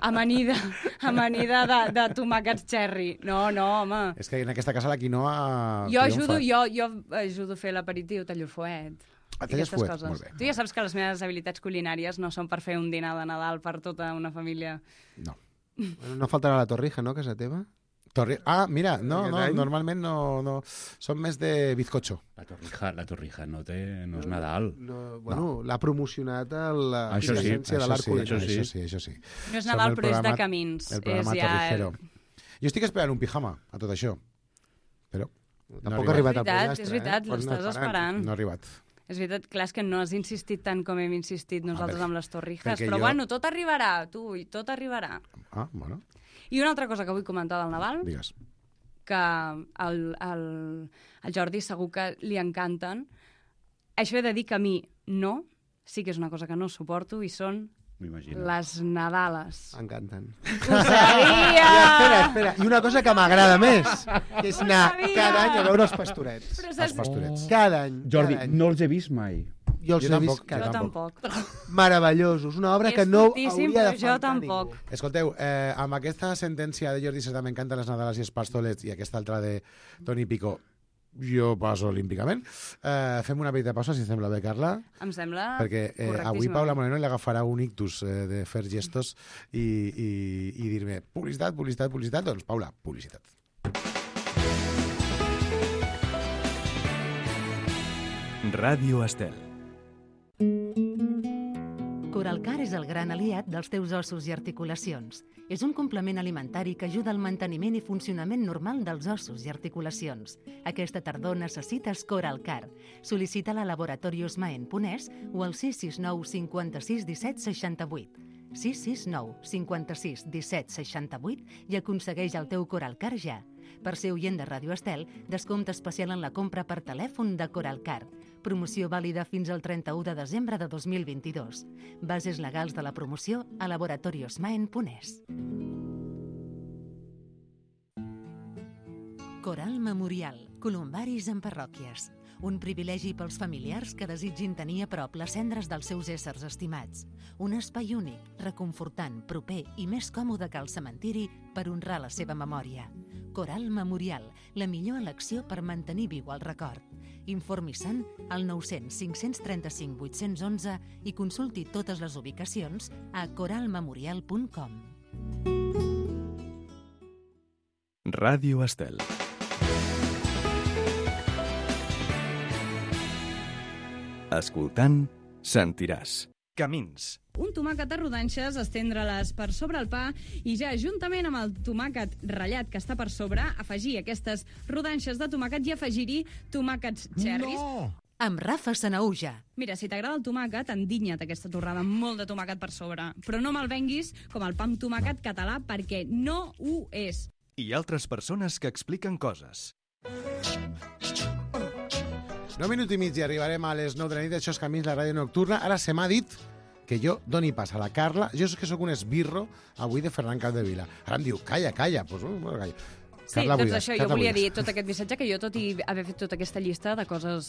Amanida de tomàquets cherry. No, home. És que en aquesta casa la quinoa Jo triomfa. ajudo a fer l'aperitiu, tallo el fuet. Talles Aquestes fuet, coses. molt bé. Tu ja saps que les meves habilitats culinàries no són per fer un dinar de Nadal per tota una família. No. Bueno, no faltarà la torrija, no, casa teva? Mira, no, Aquest any? normalment no. Són més de bizcocho. La torrija no és Nadal. No, bueno, l'ha promocionat la Això sí, Agència de l'Art Culinari. Això sí. No és Som Nadal, el però és de programa- camins. El programa És ja... Torrijero. Jo estic esperant un pijama a tot això, però Tampoc ha arribat al És pollastre. veritat, Pots anar l'estàs esperant. esperant. no ha arribat. És veritat, clar, és que no has insistit tant com hem insistit nosaltres perquè- amb les torrijes, perquè però jo- bueno, tot arribarà, i tot arribarà. Ah, bueno, I una altra cosa que vull comentar del Nadal, digues. que al Jordi segur que li encanten. Això he de dir que a mi no, sí que és una cosa que no suporto, i són M'imagino. les Nadales. M'encanten. Ho sabia! Espera. I una cosa que m'agrada més, que és anar sabia! cada any a veure els pastorets. Però Els saps... pastorets. Cada any. Jordi, cada any. no els he vist mai. Jo els Jo he vist tampoc, cada Jo any. tampoc. Meravellosos. Una obra És que no fortíssim, hauria de però jo faltar tampoc. ningú. Escolteu, amb aquesta sentència de Jordi Cerdà, m'encanten les Nadales i els pastorets, i aquesta altra de Toni Pico, jo passo olímpicament. Fem una petita pausa, si sembla bé, Carla, Em sembla perquè avui correctíssim. Paula Moreno li agafarà un ictus de fer gestos i dir-me publicitat. Doncs, Paula, publicitat. Ràdio Estel. Coralcar és el gran aliat dels teus ossos i articulacions. És un complement alimentari que ajuda al manteniment i funcionament normal dels ossos i articulacions. Aquesta tardor necessites Coralcar. Sol·licita-la a Laboratorios Maen Ponès o al 669 56 17 68. 669 56 17 68 i aconsegueix el teu Coralcar ja. Per ser oient de Ràdio Estel, descompte especial en la compra per telèfon de Coralcar. Promoció vàlida fins al 31 de desembre de 2022. Bases legals de la promoció a Laboratorios Maen Ponès. Coral Memorial. Columbaris en parròquies. Un privilegi pels familiars que desitgin tenir a prop les cendres dels seus éssers estimats. Un espai únic, reconfortant, proper i més còmode que el cementiri per honrar la seva memòria. Coral Memorial, la millor elecció per mantenir viu el record. Informi-se'n al 900 535 811 i consulti totes les ubicacions a coralmemorial.com. Ràdio Estel. Escoltant, sentiràs. Camins. Un tomàquet a rodanxes, estendre-les per sobre el pa i ja juntament amb el tomàquet ratllat que està per sobre, afegir aquestes rodanxes de tomàquet i afegir-hi tomàquets cherries. No! Amb Rafa Sanauja. Mira, si t'agrada el tomàquet, endinya't aquesta torrada amb molt de tomàquet per sobre. Però no me'l venguis com el pa amb tomàquet català, perquè no ho és. I altres persones que expliquen coses. 9 minuts i mig i arribarem a les 9 de la nit. Això és Camins, la ràdio nocturna. Ara se m'ha dit que jo doni pas a la Carla. Jo és que sóc un esbirro avui de Ferran Capdevila. Ara em diu, calla. Pues, bueno, calla. Sí, Carla doncs Buigas, això, Carla jo volia Buigas. dir tot aquest missatge que jo, tot i haver fet tota aquesta llista de coses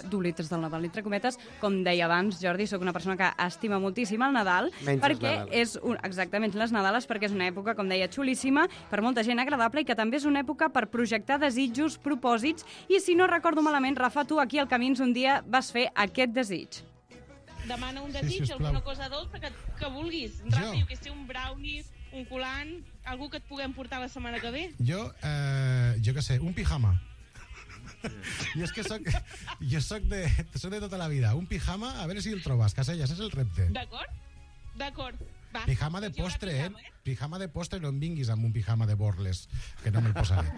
dolentes del Nadal, entre cometes, com deia abans, Jordi, sóc una persona que estima moltíssim el Nadal, Menys perquè les Nadales. exactament les Nadales, perquè és una època, com deia, xulíssima, per molta gent agradable, i que també és una època per projectar desitjos, propòsits, i si no recordo malament, Rafa, tu aquí al Camins un dia vas fer aquest desig. Demana un desig, alguna cosa dolça que vulguis. Rafa, jo que sé, un brownie, un colant, algú que et puguem portar la setmana que ve. Jo què sé, un pijama. Jo és que soc de tota la vida. Un pijama, a veure si el trobes, Caselles, és el repte. D'acord. Va. Pijama de Doncs hi haurà postre, pijama, Pijama de postre, no em vinguis amb un pijama de borles, que no me'l posaré.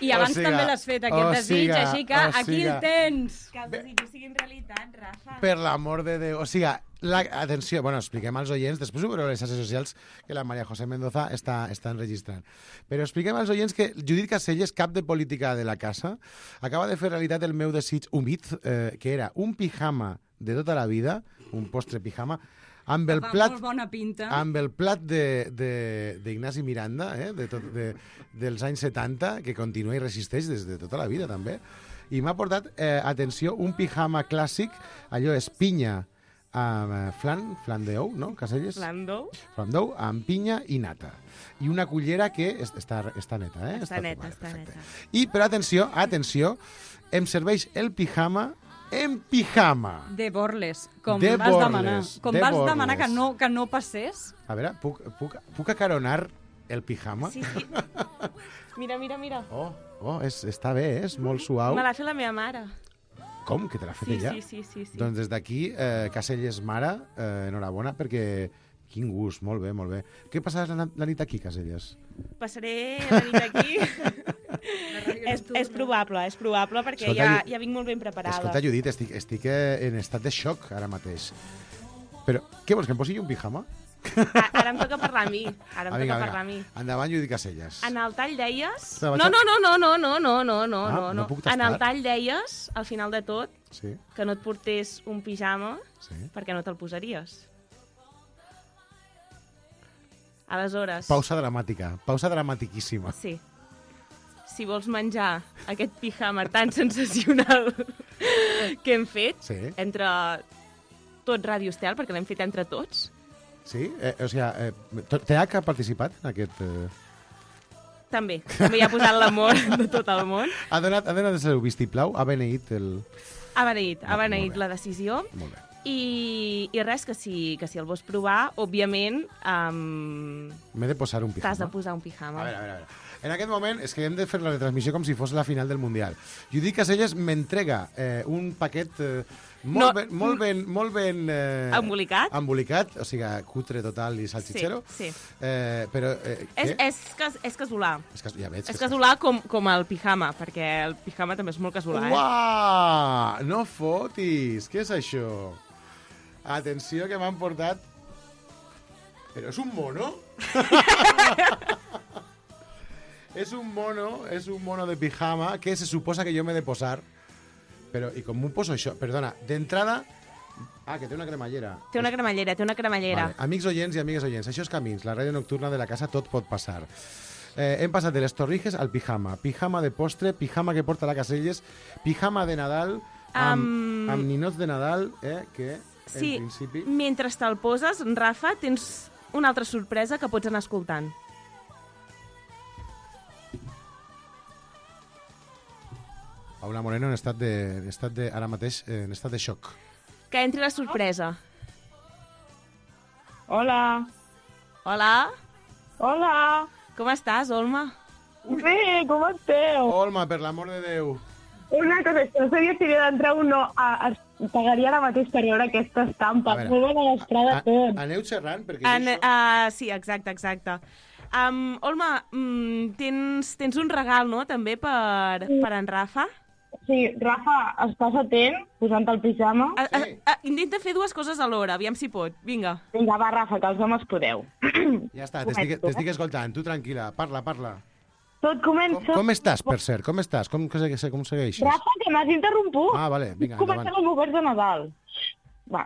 I abans també l'has fet, aquest desig, així que aquí el tens. Que els desitjos siguin realitat, Rafa. Per l'amor de Déu. O sigui, atenció, bueno, expliquem als oients, després ho veureu a les xarxes socials, que la Maria José Mendoza està enregistrant. Però expliquem als oients que Judit Caselles, cap de política de la casa, acaba de fer realitat el meu desig humit, que era un pijama de tota la vida, un postre pijama, amb el Fa plat, molt bona pinta. amb el plat d'Ignasi Miranda, dels anys 70, que continua i resisteix des de tota la vida, també. I m'ha portat, atenció, un pijama clàssic, allò és pinya amb flan d'ou, no, Caselles? Flan d'ou. Flan d'ou amb pinya i nata. I una cullera que està neta, eh? Està neta. I, però atenció, em serveix el pijama en pijama. De borles, com De vas borles, demanar. Com de vas borles. demanar que no passés. A veure, puc acaronar el pijama? Sí. Mira. Està bé, és molt suau. Me l'ha fet la meva mare. Com? Que te l'ha fet ella? Sí. Doncs des d'aquí, Caselles mare, enhorabona, perquè quin gust, molt bé, molt bé. Què passaràs la nit aquí, Caselles? Passaré la nit aquí. és probable, perquè Escolta, ja vinc molt ben preparada. Escolta, Judit, estic en estat de xoc ara mateix. Però, què vols, que em posi un pijama? Ara em toca parlar a mi. Parlar a mi. Endavant, Judit Caselles. En el tall deies... No puc tastar. En el tall deies, al final de tot, Sí. que no et portés un pijama Sí. perquè no te'l posaries. Aleshores... Pausa dramatiquíssima. Sí. Si vols menjar aquest pijama tan sensacional que hem fet, entre tot Ràdio Estel, perquè l'hem fet entre tots. Sí? TH ha participat en aquest... També hi ha posat l'amor de tot el món. Ha donat el seu vistiplau, ha beneït el... Ha beneït la decisió. Molt bé. I res, que si el vols provar, òbviament... M'he de posar un pijama. T'has de posar un pijama. A veure. En aquest moment és que hem de fer la retransmissió com si fos la final del Mundial. Judit Caselles m'entrega un paquet molt ben embolicat, o sigui, cutre total i salchichero. Sí. Però què? És casolà. Ja veig. És casolà com el pijama, perquè el pijama també és molt casolà. Uau! No fotis! Què és això? Atenció, que m'han portat... Però és un mono? És un mono de pijama que se suposa que jo m'he de posar. Però, i com m'ho poso això? Perdona, d'entrada... que té una cremallera. Té una cremallera. Vale. Amics oients i amigues oients, això és Camins, la ràdio nocturna de la casa Tot pot passar. Hem passat de les torrijes al pijama. Pijama de postre, pijama que porta la Caselles, pijama de Nadal, amb ninots de Nadal, que sí, en principi... Mentre te'l poses, Rafa, tens una altra sorpresa que pots anar escoltant. Paula Moreno ara mateix en estat de xoc. Que entri la sorpresa. Hola. Com estàs, Olma? Bé, com esteu? Olma, per l'amor de Déu. Una cosa, no sabia si havia d'entrar o no. Pagaria ara mateix per veure aquesta estampa. Molt bona vesprada a tots. Aneu xerrant, perquè sí, exacte. Olma, tens un regal, no?, també per en Rafa? Sí, Rafa, estàs atent, posant el pijama? Intenta fer dues coses alhora, aviam si pot. Vinga. Vinga, va, Rafa, que els homes podeu. Ja està, t'estic escoltant. Tu tranquil·la, parla. Tot comença... Com estàs, per cert? Com estàs? Com segueixes? Rafa, que m'has interromput. Vale, vinga, endavant. Comencem amb oberts de Nadal. Va.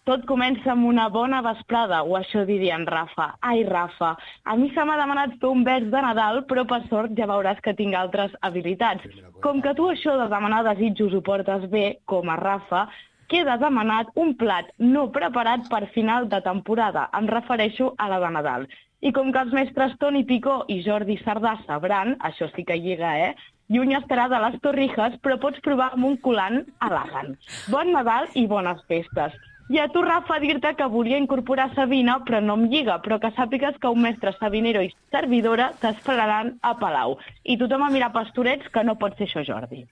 Tot comença amb una bona vesprada, o això diria en Rafa. Ai, Rafa, a mi se m'ha demanat fer un vers de Nadal, però per sort ja veuràs que tinc altres habilitats. Com que tu això de demanar desitjos ho portes bé, com a Rafa, queda demanat un plat no preparat per final de temporada. Em refereixo a la de Nadal. I com que els mestres Toni Picó i Jordi Sardà sabran, això sí que lliga, lluny estarà de les torrijas, però pots provar amb un colant elegant. Bon Nadal i bones festes. I a tu, Rafa, dir-te que volia incorporar Sabina, però no em lliga, però que sàpigues que un mestre sabinero i servidora t'esperaran a Palau. I tothom a mirar pastorets, que no pot ser això, Jordi.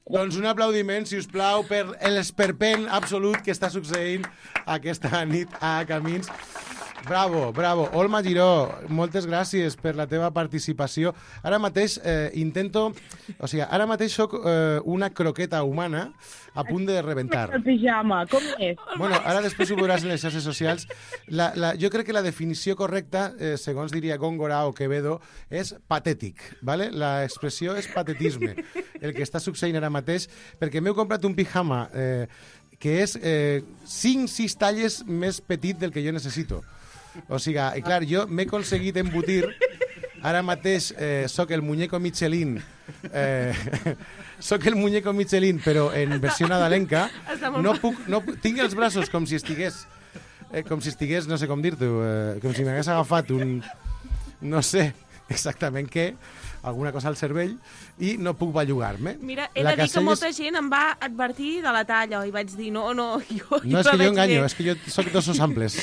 Doncs un aplaudiment, si us plau, per l'esperpent absolut que està succeint aquesta nit a Camins. Bravo. Olma Giró, moltes gràcies per la teva participació. Ara mateix ara mateix soc una croqueta humana a punt de rebentar. El pijama, com és? Bueno, ara després ho veuràs en les xarxes socials. Jo crec que la definició correcta, segons diria Góngora o Quevedo, és patètic, ¿vale? La expressió és patetisme. el que està succeint ara mateix, perquè m'he comprat un pijama que és 5-6 talles més petit del que jo necessito. O sigui, clar, jo m'he aconseguit embotir, ara mateix soc el muñeco Michelin, soc el muñeco Michelin, però en versió nadalenca, tinc els braços com si estigués, no sé com dir-t'ho, com si m'hagués agafat un, no sé exactament què, alguna cosa al cervell, i no puc bellugar-me. Mira, he de dir que molta gent em va advertir de la talla, i vaig dir, no, jo no és que jo enganyo, és que jo soc d'ossos amples.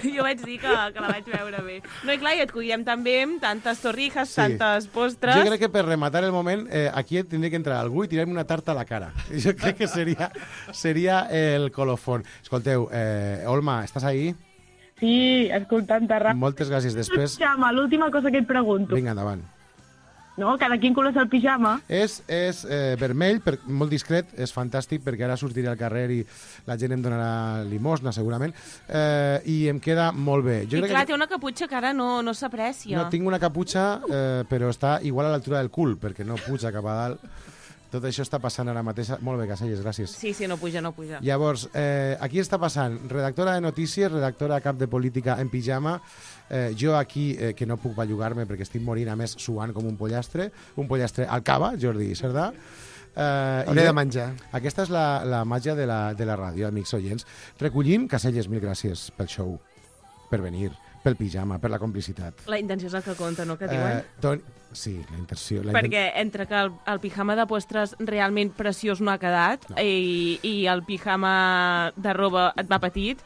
Jo vaig dir que la vaig veure bé. No, i clar, i et cuidem també amb tantes torrijas, tantes postres... Jo crec que per rematar el moment, aquí tindria que entrar algú i tirar-me una tarta a la cara. Jo crec que seria el colofón. Escolteu, Olma, estàs ahí? Sí, escoltant-te ràpid. Moltes gràcies. Després... Pijama, l'última cosa que et pregunto. Vinga, endavant. No, cada quin color és el pijama? És vermell, molt discret, és fantàstic, perquè ara sortiré al carrer i la gent em donarà limosna, segurament, i em queda molt bé. I clar, té una caputxa que ara no s'aprecia. No, tinc una caputxa, però està igual a l'altura del cul, perquè no puja cap a dalt. Tot això està passant ara mateix. Molt bé, Caselles, gràcies. Sí, no puja. Llavors, aquí està passant redactora de notícies, redactora cap de política en pijama, jo aquí, que no puc bellugar-me perquè estic morint, a més, suant com un pollastre al cava, Jordi Cerdà. Hauré de menjar. Aquesta és la màgia de la ràdio, amics oients. Recollim, Caselles, mil gràcies pel show, per venir, pel pijama, per la complicitat. La intenció és el que compta, no?, que diuen? Sí, la intenció. Perquè entre que el pijama de postres realment preciós no ha quedat i el pijama de roba et va petit,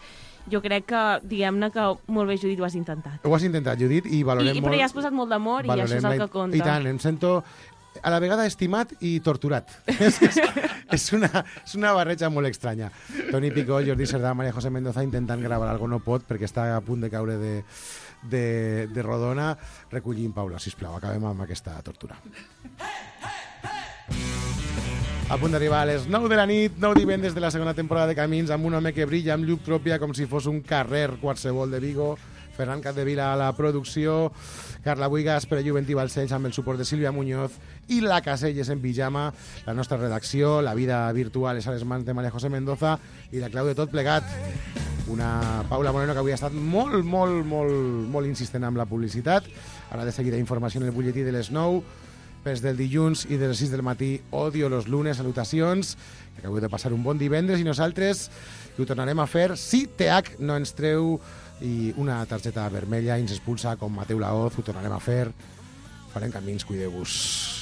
jo crec que, diguem-ne que molt bé, Judit, ho has intentat. Ho has intentat, Judit, i valorem molt... Però ja has posat molt d'amor i això és el que compta. I tant, em sento a la vegada estimat i torturat. És una barreja molt estranya. Toni Picó, Jordi Cerdà, María José Mendoza intentant gravar algo no pot perquè està a punt de caure de rodona. Recollim, Paula, sisplau, acabem amb aquesta tortura. A punt d'arribar a les 9 de la nit, 9 divendres de la segona temporada de Camins, amb un home que brilla amb llum pròpia com si fos un carrer qualsevol de Vigo, Ferran Capdevila a la producció, Carla Buigas, Pere Juventí Balcells amb el suport de Sílvia Muñoz i la Caselles en pijama, la nostra redacció, la vida virtual és a les mans de María José Mendoza i la clau de tot plegat. Una Paula Moreno que avui ha estat molt insistent amb la publicitat. Ara de seguida informació en el butlletí de les 9, pels del dilluns i de les 6 del matí, odio los lunes, salutacions, que acabeu de passar un bon divendres i nosaltres ho tornarem a fer si TH no ens treu i una targeta vermella i ens expulsa com Mateu Laoz, ho tornarem a fer. Farem camins, cuideu-vos.